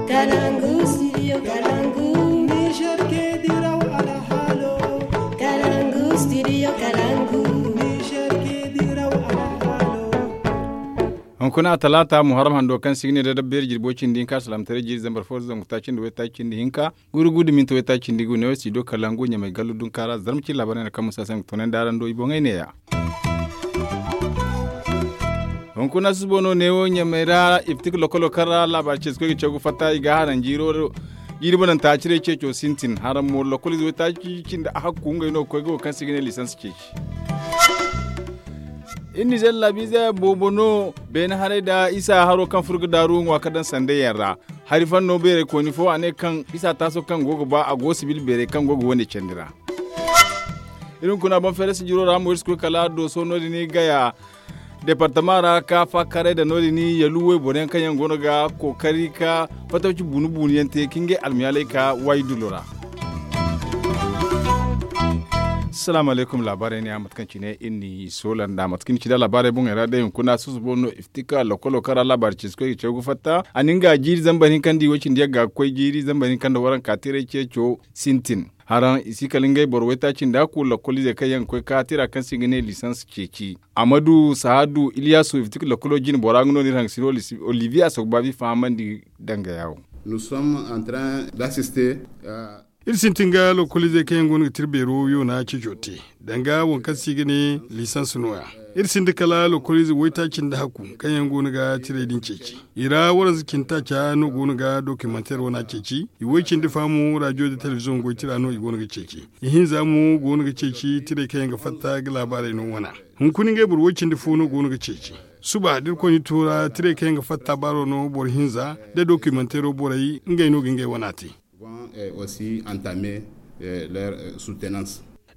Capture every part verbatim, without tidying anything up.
Kalangu, studio Kalangu. Niger ke diraw alhalo. Kalangu, studio Kalangu. Niger ke diraw alhalo. Hunkuna talaata muharram hando kaŋ si ga ne da dabbeeri jirbo cindi hinka salaamataray jiiri zambar fo zangu taaci nda waytaaci cindi hinka, guuru guuru da minti waytaaci cindi gu ne wo studio Kalangu ɲamay gallu dunka ra zarma cine laabaarey no kaŋ musa se nga toonandi araŋ do i boŋey neeya. Hunkuna susubo no neewo ɲamay ra iftik lokolo kaŋ ra laabaari ceesikoy ga caw ga fatta i ga haraŋ jiiri bananta ciray ceeco sintin haraŋ mo lokolize waytaaci cindi a hakku ngey no ga koy ga wo kaŋ se i ga ne lisans ceeci. Iri nizer laabiize boobo no beene haray nda isa haro kaŋ furo ga daaru ŋwa ka daŋ sanday yaŋ ra. Hari fanno beerey kooni fo a ne kaŋ isa taaso kaŋ go ga ba a go sibil beerey kaŋ go ga wane candi ra. Iri hunkuna boŋ feere sijiro ra mo iri si koy kala dooso no- din gaya departama ra ka faakaray da no- din yalu wayboro yaŋ kaŋ yaŋ go no ga kookari ka fatawci buunu buunu yaŋ te ka ngey almiyaaley ka waayi dulo ra. Salaamu alaykum laabaarey ne a mate kaŋ cine iri n'i soola nda mate kaŋ iri ci nda laabaarey boŋey ra day hunkuna susubo no iftika lokolo kaŋ ra laabaari ceesikoy ga caw ga fatta a na nga jiiri zambar hinka nda i way cindi yagga ga koy jiiri zambar hinka nda waranka tiray ceeco sintin. Haraŋ i si kala ngey boro waytaaci nda a kulu lakkoliizey kaŋ yaŋ ga koy ka tira kaŋ se i ga ne lisans ceeci. Amadu sahadu iliyasu iftik lakkolo jine bora nga no no iri haŋ ga siro oliviye a sogobaabi fahamandi danga yaawo. Iri sintin ga lakkoliizey kaŋ yaŋ go no ga tira beero yoona ceeco te danga waŋ kaŋ se i ga ne lisans nooya. Iri sinda kala lakkoliizey waytaaci nda hakku kaŋ yaŋ go no ga tiray din ceeci. I ra waranza cindi taaca no go no ga dokimanteer wana ceeci. I way cindi faamu rajo nda telebiziyoŋ goy tira no i go no ga ceeci. Ihinza mo go no ga ceeci tiray kaŋ yaŋ ga fatta ga laabaarey no wana. Hunkuna ngey boro way cindi fo no go no ga ceeci. Suba da irkoy na i tuura tiray kaŋ yaŋ ga fatta baaro no boro hinza da dokimanteero borey ngey no ga ngey wana te.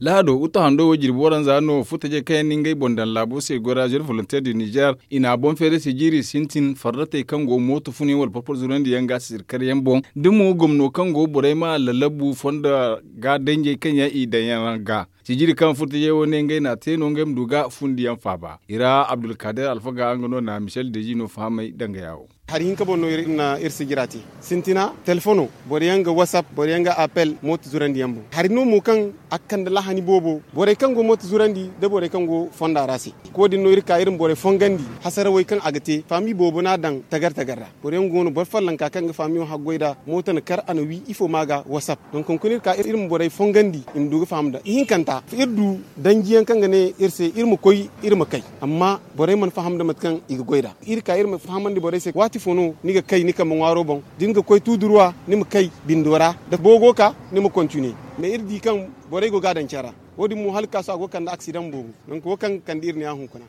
Lahado uta hando wo jirbi waranza no futajey kaŋ yaŋ na ngey boŋ daŋ laabo se goy ra jeune volontaire du nizer i na a boŋ feere se jiiri sintin farratey kaŋ go mooto fun yaŋ wala porpor zurandi yaŋ ga sisiri kar yaŋ boŋ da mo gomno kaŋ go borey ma lalabu fonda ga danjey kaŋ yaŋ i daŋ yaŋ ga. Sijiri kaŋ furtajey wo ne ngey na a te no ngey ma du ga fundiyaŋ faaba i ra abdulkader alfaga nga no na michel dezi no fahamay danga yaawo. Hari hinka boŋ no iri na iri sijira te sintina telefono boro yaŋ ga whatsapp boro yaŋ ga appel mooto zurandiyaŋ boŋ hari no mo kaŋ a ga kande lahani boobo borey kaŋ go mooto zurandi nda borey kaŋ go fonda ra se. Ko- din no iri ka iri ma borey fongandi hasarawey kaŋ a ga te faami boobo no a daŋ tagar tagar ra. Boro yaŋ go no boro follonka kaŋ ga faamiyo haggoy nd'a mooto na kar a na wi ifo ma ga whatsapp donk hunkuna iri ka iri ma borey fongandi i ma du ga faham nd'a ihinkanta iri du danjiyaŋ kaŋ ga ne iri se iri ma koy iri ma kay. Amma borey mana faham nda mate kaŋ i ga goy nd'a iri ka iri ma fahamandi borey se waati fo no ni ga kay ni kambe ŋwaaro boŋ da ni ga koy tuuduruwa ni ma kay bindo ra da boogo ka ni ma kontine. Mais iri di kaŋ borey go ga a daŋ care ra wo- din mo hala ga ka sohõ a go ga kande aksidaŋ boobo. Nangu wo kaŋ ga kande iri ne a hunkuna.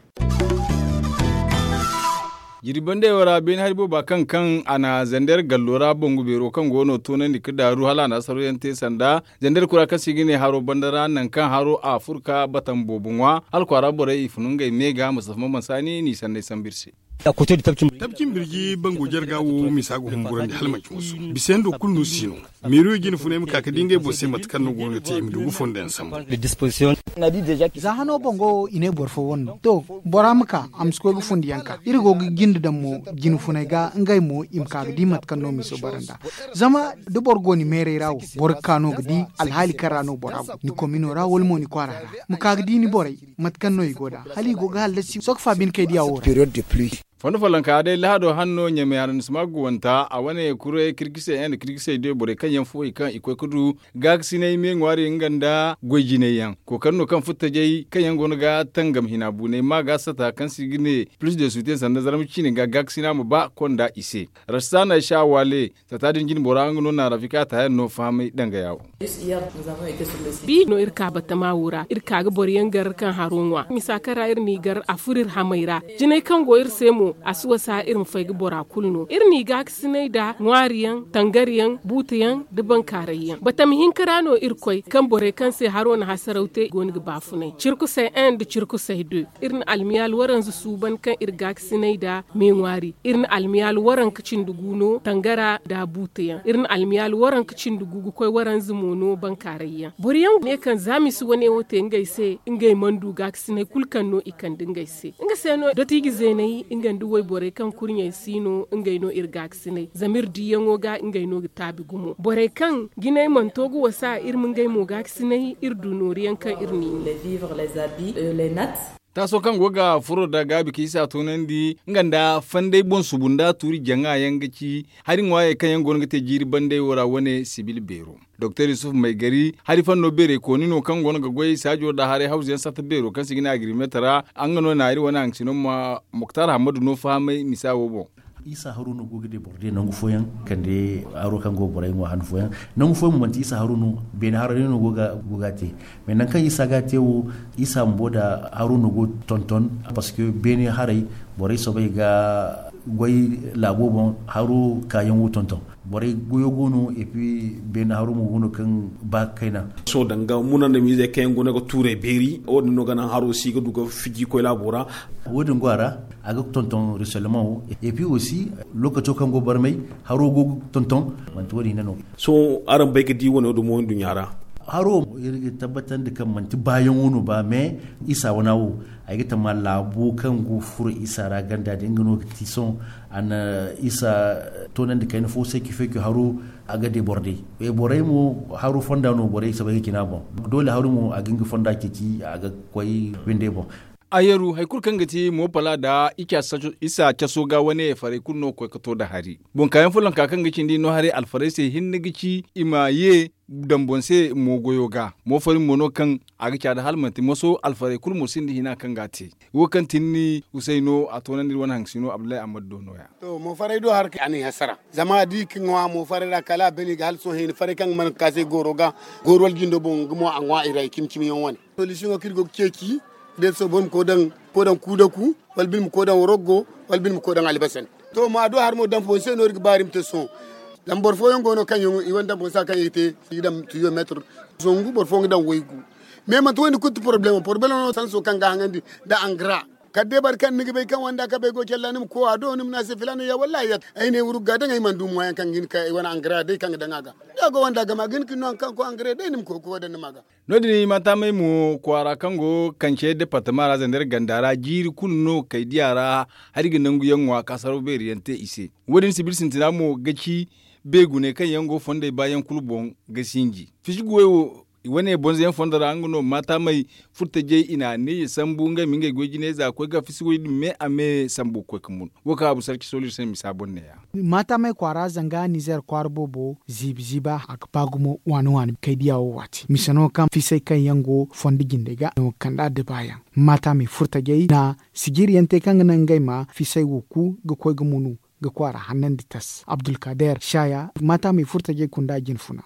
Jirbi banda yaŋ ra beene hari booba kaŋ kaŋ a na zander gallo ra bangu beero kaŋ go no toonandi ga daaru hala a na asaro yaŋ te sanda zander kura kaŋ se i ga ne haro banda ra nangu kaŋ haro a furo ka batan boobo ŋwa hala kwaara borey i fun ngey me ga mustafa maman saani n'i sanney sambu iri se. Tabcin birji bango jarga wo misa ga humburandi hala manci wasu bisa yaŋ do kulu no si no. Meeriyo jine funay ma ka ga di ngey boŋ se mate kaŋ no go no ga te i ma du ga fondo yaŋ sambu. Za hano boŋ go i ne boro fo wane no to bora ma ka a ma si koy ga fundi yaŋ ka iri go ga jinde daŋ mo jine funay ga ngey mo i ma ka ga di mate kaŋ no miso bara nd'a. Zama da boro go ni meeray ra wo boro ga ka no ga di alhaali kaŋ ra no bora go ni komino ra wala mo ni kwaara ra ma ka ga di ni borey mate kaŋ no i go nd'a hala i go ga hallasi sohõ ga faabin kay diya wo ra. Fondo follonka day lahado hanno ɲamay arannisima guwanta a wane kuray kirkisey yaŋ nda kirkisey day borey kaŋ yaŋ fo i kaŋ i koy ga du gaakasinay me ŋwaari nga nda goy jinay yaŋ kookari no kaŋ futtajey kaŋ yaŋ go no ga tangam hina buunay ma ga sata kaŋ se i ga ne plus de soutien sanda zarma ciine ga gaakasina ma ba konda i se. Rassana sha wale sata din jine bora nga no na rafika taayaŋ no fahamay danga yaawo. Bi no iri ka batama wo ra iri ka ga boro yaŋ gar kaŋ haro ŋwa misa kaŋ ra iri n'i gar a furo iri hamey ra. Jinay kaŋ go iri se mo a si wasa iri ma fay ga bora kulu no iri n'i gaakasinay nda ŋwaari yaŋ tangar yaŋ buuta yaŋ nda bankaaray yaŋ batama hinka ra no iri koy kaŋ borey kaŋ se haro na hasaraw te i go no ga baafunay cirkusay en nda cirkusay de. Iri na almiyaal waranza suuban kaŋ iri gaakasinay nda me ŋwaari iri na almiyaal waranka cindi gu no tangara nda buuta yaŋ iri na almiyaal waranka cindi gu ga koy waranza mo no bankaaray yaŋ boro yaŋ ne kaŋ za misi wane wo te ngey se ngey mana du gaakasinay kulu kaŋ no i kande ngey se nga se no dotiije zeeney nga. Da wayborey kaŋ kurɲey si no ngey no iri gaakasinay zama iri diiyaŋo ga ngey no ga taabi gumo borey kaŋ jinay mana to ga wasa iri ma ngey mo gaakasinay iri du nooru yaŋ kaŋ iri n'i no. Taaso kaŋ go ga furo nda gaabi ka isa toonandi nga nda fanday boŋ subu nda tuuri jaŋa yaŋ ga ci hari ŋwaayey kaŋ yaŋ go no ga te jiiri bandey wo ra wane sibil beero. Doktor yusuf maygari hari fanno beerey kooni no kaŋ go no ga goy saajo nda haray hawzu yaŋ satta beero kaŋ se i ga ne agrimeeta ra. Nga no na iri wane haŋ sino ma muktar hammadu no fahamay misa wo boŋ. Isa haru no go ga de boro de nangu fooyaŋ kande haro kaŋ go ga borey ŋwa han fooyaŋ. Nangu fooyaŋ mo manti isa haru no beene haro day no go ga te. Mais nangu kaŋ isa ga te wo isa bumbo nda haro no go ga tonton. Parce que beene haray borey soobay ga goy laabo boŋ haro kaayaŋ wo tonton. Borey goyo go no et puis beene haro mo go no kaŋ ba ga kayna. Sohõ danga muna nda miizey kaŋ yaŋ go no ga tuurey beeri wo- din no ga naŋ haro si ga du ga fiji koy laabo ra. Wo- din go a ra a ga tonton reselman wo et puis aussi lookaco kaŋ go barmay haro go ga tonton. Manti wo- din hina no. Sohõ araŋ bay ga di wane wo- din mo nduɲɲa ra. Haro iri ga tabbatandi kaŋ manti baayaŋo no ba mais isa wana wo ay ga tama laabo kaŋ go ga furo isa ra ganda din nga no ga ti sohõ a na isa toonandi kayna fo se ki fay ki haro. A ga de boro day borey mo haro fonda no borey soobay ga cina boŋ. Doole haro mo a ga nga fonda ceeci a ga koy windey boŋ. Ayeru hari kulu kaŋ ga ti moopala nda isa caso ga wane farey kulu no ga koy ga to nda hari. Boŋ kaayaŋ follonka kaŋ ga cindi no haray alfarey se hinne ga ci i ma ye daŋ boŋ se moogoyo ga moofari mo no kaŋ a ga caada hala manti moso alfarey kulu mo sinda hina kaŋ ga a te. Wo kaŋ ti ni usayno a toonandi iri wane haŋ sino abdullahi ammadu do no- ya. To moofaray do har a n'i hasara zama da i ga ŋwa moofaray ra kala a bane i ga hala sohõ hina faray kaŋ ga mana ga ka se gooro ga gooro wala jindo boŋ nga mo a ŋwa i ra i cimi cimi yaŋ wane. Solisiyoŋo kaŋ iri go ga ceeci da iri soobay boro ma koy daŋ kuu daku wala bine ma koy daŋ waroggo wala bine ma koy daŋ albasan. To ma do har mo daŋ boŋ se no iri ga ba iri ma te sohõ. Zama boro fooyaŋ go no kaŋ yaŋ i wane daŋ boŋ se a kaŋ i ga te i ga daŋ tiyomeetir. Zangu boro fooyaŋ ga daŋ waygu. Mais manti wo- din kulu ti porobalemo porobalemo no sanso kaŋ ga a haŋandi nda angara. Kala day boro kaŋ ni ga bay kaŋ wanda kabey go calla ni ma koy a do ni ma ne a se filaana ya wallaahi ya ay ne wurgu ga daŋ ay mana du moyen kaŋ ga hin ka ay wane angara day kaŋ ga daŋ a ga. Da a go wanda gama ga hin ka ni no hari kaŋ ga koy angara day ni ma koy ga koy daŋ ni ma a ga. No- din maataamey mo kwaara kaŋ go kance departama ra zandar ganda ra jiiri kulu no kay diya ra. Hari ga nangu yaŋ ŋwa ka saraw beeri yaŋ te i se. Wo- din sibil sintina mo ga ci beeguney kaŋ yaŋ go fondey baayaŋ kulu boŋ ga sinji fisi guwey wo. Wane bonzo yaŋ fondo ra nga no maataamey furtajey i na ne ya sambu ngey ma ngey goy jiney za ga koy ga fisi way din me a me sambu ga koy ga mun. Wo kaŋ abu sarki sooliri se misa boŋ ne- ya. Maataamey kwaara zanga nizer kwaara boobo ziibi ziiba a ga ba gumo waani waani kay diya wo waati mise no kaŋ fisey kaŋ yaŋ go fondo jindey ga no ga kande addiba yaŋ. Maataamey furtajey na sijiri yaŋ te kaŋ ga naŋ ngey ma fisey wo ku ga koy ga munu ga kwaara hannandi tas abdulkader shaya maataamey furtajey kunda jinfuna.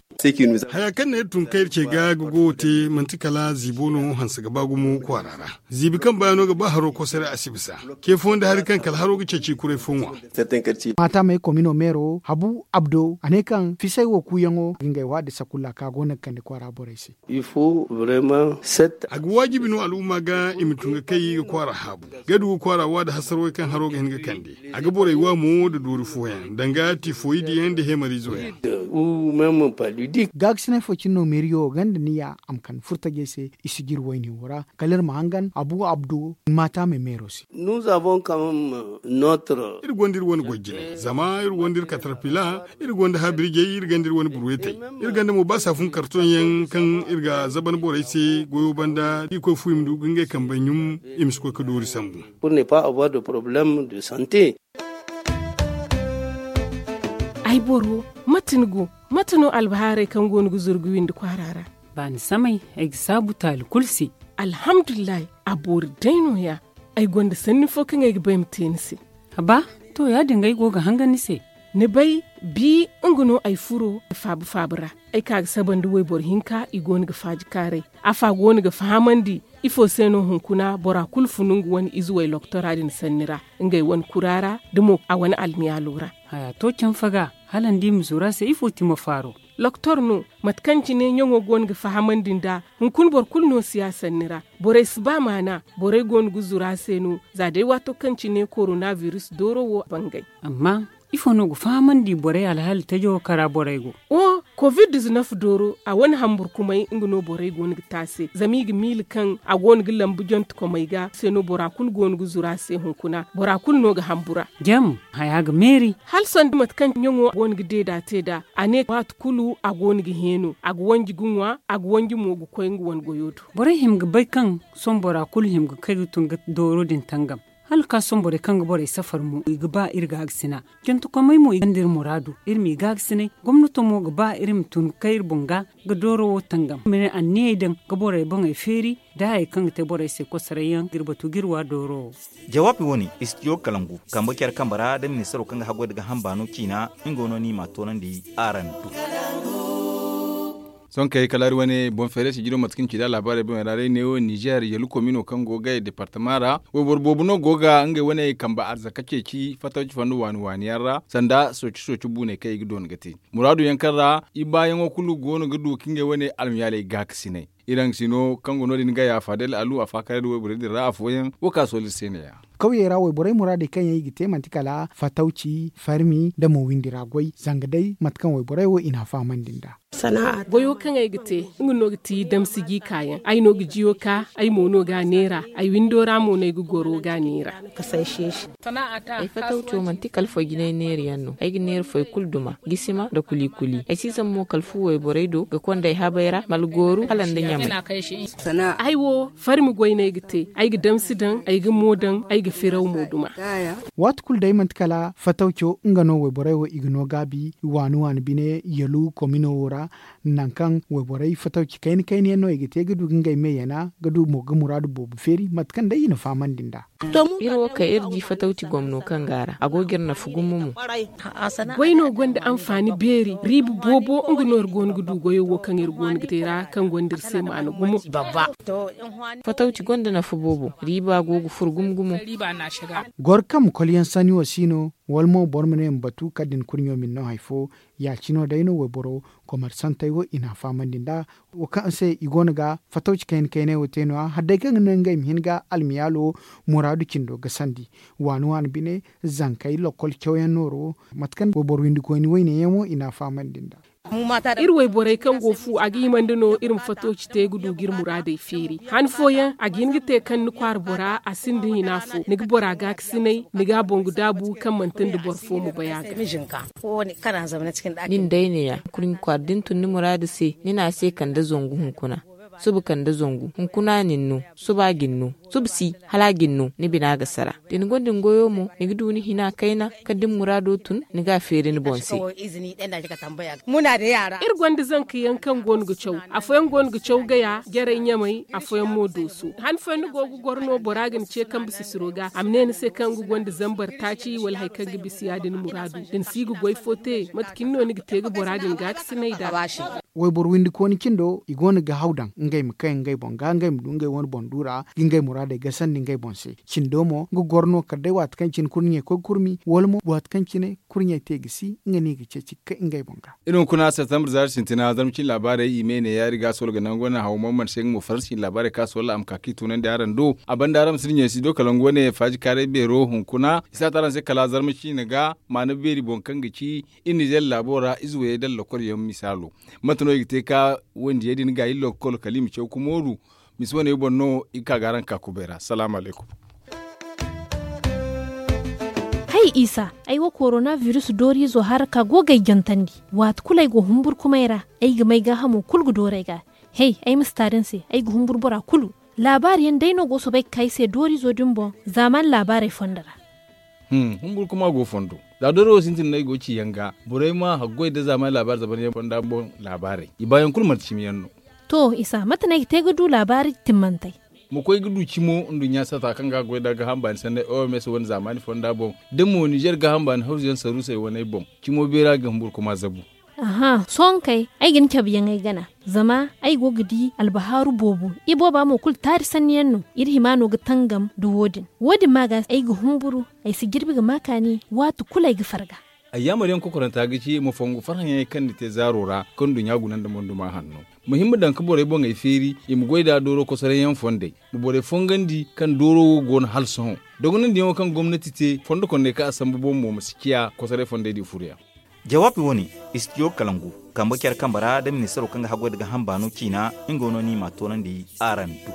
Haya kaŋ no iri tun kaŋ iri ce ga ga goyo te manti kala ziibo no hanse ga ba gumo kwaara ra. Ziibi kaŋ baayaŋo ga ba haro kosare a si bisa. Ce fooyaŋ da hari kaŋ kala haro ga ceeci kuray fo ŋwa. Maataamey komino meero habu abdo a ne kaŋ fisey wo kuuyaŋo ga ngey waadi sakulla kaŋ a go no ga kande kwaara borey se. A ga waajibi no al'umma ga i ma tun ga kay ga kwaara haabu ga du ga kwaara waadi hasarwey kaŋ haro ga hin ga kande. A ga borey wa mo nda doori fooyaŋ danga tifoyid yaŋ nda hemarizo yaŋ. Gaakasinay fo cine no meeriyo ganda niya a ma kande furtajey se i si jiri wayne wo ra kala iri ma hangan abu abdo maataamey meero se. Iri gonda iri wane goy jinay zama iri gonda iri katarpila iri gonda habirjey iri gonda iri wane burwetey. Iri gonda mo ba saafun karton yaŋ kaŋ iri ga zaban borey se goyo banda da i koy fu i ma du ga ngey kambey ɲum i ma si koy ga doori sambu. Ay boro mate ni go? Mate no albahaarey kaŋ go no ga zuru ga windi kwaara ra? Baani samay ay ga saabu taali kulu se. Alhamdulillahi. A boori day no- ya. Ay gonda sanni fo kaŋ ay ga ba ay ma te ni se. Haba, to ya- din ga ay go ga hangan ni se. Ni bay, bi nga no ay furo ga faabu faabu ra. Ay ka ga saba nda wayboro hinka i go no ga faaji kaaray. Afa go no ga fahamandi ifo se no hunkuna bora kulu funu nga wane ize way loktora din sanni ra, ngey wane kura ra da mo a wane almiyaalo ra. Haya to canfa ga hala ni di ma zuru a se ifo ti ma faaro? Loktor no, mate kaŋ cine ɲaŋo go no ga fahamandi nd'a. Hunkuna boro kulu no si a sanni ra. Borey si ba maana. Borey go no ga zuru a se no. Za day waato kaŋ cine korona biris dooro wo bangay. Amma ifo no ga fahamandi borey alhaali tajo kara borey go? Wo, Covid diznef dooro a wane hamburkumay nga no borey go no ga te a se zama i ga miila kaŋ a go no ga lambu jonte komey ga se no bora kulu go no ga zuru a se hunkuna bora kulu no ga hambura. Jam haya ga meeri. Hala sanda mate kaŋ ɲaŋo go no ga deeda te nd'a a ne waati kulu a go no ga heeno a ga wanji ga ŋwa a ga wanji mo ga koy nga wane goyo do. Borey hima ga bay kaŋ sohõ bora kulu hima ga kay ga tun ga dooro din tangam. Hala ga ka sohõ borey kaŋ ga borey safar mo i ga ba iri gaakasina. Jantakomey mo i gonda iri muraadu iri m'i gaakasinay. Gomnato mo ga ba iri ma tun ga kay iri boŋ ga ga dooro wo tangam ma ne anniyey daŋ ga borey boŋey feeri da hayey kaŋ ga te borey se kosoray yaŋ ga iri batu ga iri wa dooro wo. Jawaabi wo- ne istidiyo kalangu kambe care kambe ra da ministaro kaŋ ga haggoy nda gaaham baano ciina. Nga no no i m'a toonandi araŋ do. Sohõ kay kala iri wane boŋ feeray sijiro mate kaŋ ci nd'a laabaarey boŋey ra day neewo ninzeer yalu komino kaŋ go ga gay deepartama ra wayboro boobo no go ga ngey wane kambe arzaka ceeci fatawci fondo waani waani yaŋ ra sanda sooci sooci buuney kaŋ i ga doona ga te muraadu yaŋ kaŋ ra i baayaŋo kulu go no ga du ka ngey wane almayaaley gaakasinay. Iri haŋ ga si no kaŋ go no- din ga yaafa day al'alu a faakaaray nda wayborey din ra afooyaŋ wo kaŋ a sohõ iri se ne- ya. Kawyey ra wayborey muraadey kaŋ yaŋ i ga te manti kala fatawci farmi nda mo windi ra goy zanga day mate kaŋ wayborey wo i n'a fahamandi nd'a. Goyo kaŋ ay ga te nga no ga ti damsi jiika yaŋ ay no ga jiyo ka ay mo no ga a neera. Ay windo ra mo no ay ga goro ga a neera. Ay fatawco manti kala foy jinay neera yaŋ no ay ga neera foy kulu duma gisima nda kuli kuli ay si zama mo kala fu wayborey do ga konda ay habey ra ma algooru hala nda ɲamay. Ay wo farmi goy no ay ga te ay ga damsi daŋ ay ga mo daŋ ay ga firaw mo duma. Waati kulu day manti kala fatawco nga no wayborey wo i ga no gaabi waani waani bine yalu komino wo ra. Nangu kaŋ wayborey fatawci kayna kayna yaŋ no i ga te ga du ga ngey me yana ga du mo ga muraadu boobo feeri mate kaŋ day i na fahamandi nd'a. Iri wo kaŋ iri di fatawci gomno kaŋ go a ra a go ga iri nafa gumo mo. Goy no gonda anfaani beeri riiba boobo nga no iri go no ga du goyo wo kaŋ iri go no ga te ra kaŋ gonda iri se maana gumo. Fatawci gonda nafa boobo riiba go ga furo gumo gumo. Goro kaŋ ma kolyaŋ sanni wo si no wala mo boro ma ne ma batu kala da ni kurɲo ma ni no hari fo. Ya- cine wo day no wayboro komersantey wo i n'a fahamandi nd'a wo kaŋ se i go no ga fatawci kayna kayney wo te no- ya hala day kaŋ ga naŋ ngey ma hin ga almiyaalo muraadu cindo gasandi waani waani bine zankey lokkol cawyaŋ nooro mate kaŋ wayboro windi koyne wayne yaŋ wo i n'a fahamandi nd'a. Iri wayborey kaŋ go fu a ga himandi no iri ma fatawci te ga du ga iri muraadey feeri han fooyaŋ a ga hin ga te kaŋ ni kwaara bora a sinda hina fo ni ga bora gaakasinay ni ga a boŋ ga daabu kaŋ manti nda boro fo ma bay a ga. Nin day ne- ya kurɲi kwaara da ni tun ni muraadu se ni ne a se kande zangu hunkuna. Suba kande zangu hunkuna nin no suba a ga ni no suba si hala a ga ni no ni bina ga sara. Da ni gonda ni goyo mo ni ga du ni hina kayna kala da ni muraado tun ni ga a feeri ni boŋ se. Iri gonda zanka yaŋ kaŋ go no ga caw afooyaŋ go no ga caw gaya jarey ɲamey afooyaŋ mo dooso han fooyaŋ ni go ga goro no bora ga ni ce kambe sisiro ga a ma ne ni se kaŋ nga gonda zambar taaci wala hari kaŋ ga bisa ya- din muraadu da ni si ga goy fo te mate cine no ni ga te ga bora din gaakasinay nd'a. Wayboro windi kooni cindo i go no ga haw daŋ ngey ma kay ngey boŋ ga ngey ma du ngey wane boŋ duura ga ngey muraadey gasandi ngey boŋ se. Cindo mo nga goro no kala day waati kaŋ cine kurɲey koy ga kurmi wala mo waati kaŋ cine kurɲey te ga si nga no i ga ceeci ga kay ngey boŋ ga. Iri hunkuna septembre zaari sintina zarma cine laabaarey i me ne ya iri ga a sohõ ga nangu wane haw mo mana se nga mo faransi cine laabaarey kaŋ a sohõ a ma ka kaŋ i tunandi araŋ do a banda araŋ ma si diɲey si do kala nga wane faaji kaaray beero hunkuna i si a te araŋ se kala zarma cine ga maana beeri boŋ kaŋ ga ci iri nizeer laabo ra ize wayey da lokol yaŋ misaalo. Mate no i ga te ka wandiyey din ga iri lokol kala i ma caw ga mooru. Mise wane boŋ no i ga ka ga araŋ ga ka kubay ra salaamu alaykum. Hay isa, ay wo korona virus dooriizo haraka go ga ay jantandi. Waati kulu ay go humburkumay ra ay ga may gaahamo kulu ga dooru ay ga. Hay ay ma si taari ni se ay ga humburu bora kulu. Laabaari yaŋ day no go soobay ga ka ay se dooriizo din boŋ zaamaani laabaarey fondo ra. Humburkuma go fondo. Za doori wo sintin no ay go ga ci yaŋ ga borey ma haggoy nda zaamaani laabaari zabaryaŋ fonda boŋ laabaarey i baayaŋ kulu manti cimi yaŋ no. To isa mate no ay ga te ga du laabaari timmantey? Ma koy ga du cimo nduɲɲa sata kaŋ ga a goy nda gaaham baani sanney oms wane zaamaani fonda boŋ da mo nizeer gaaham baani hawzuyaŋ saruusey waney boŋ. Cimo beera ga humburkuma zabu. Aha sohõ kay ay ga ni cabe yaŋ ay gana. Zama ay go ga di albahaaru boobo ibooba mo kulu taari sanni yaŋ no. Iri hima no ga tangam nda wo- din wo- din ma ga ay ga humburu. Ay si jirbi ga ma kaani waati kulu ay ga farga. Ayyaamar yaŋ kokoranta ga ci ma fongu farhãyaŋey kaŋ ni te zaaro ra kaŋ nduɲɲa guna nda monduma hanno. Ma hin ma daŋ ga borey boŋey feeri i ma goy nd'a dooro kosoray yaŋ fondey. Ma borey fongandi kaŋ dooro wo go no hala sohõ. Dogonandiyaŋo kaŋ gomnati te fondo kondey kaŋ a sambu boŋ mo ma si ciya kosoray fondey din furoyaŋ. Jawaabi wo- ne, istidiyo kalangu kambe care kambe ra nda ministaro kaŋ ga haggoy nda ga hamba no ciina. Nga no no i m'a toonandi araŋ do.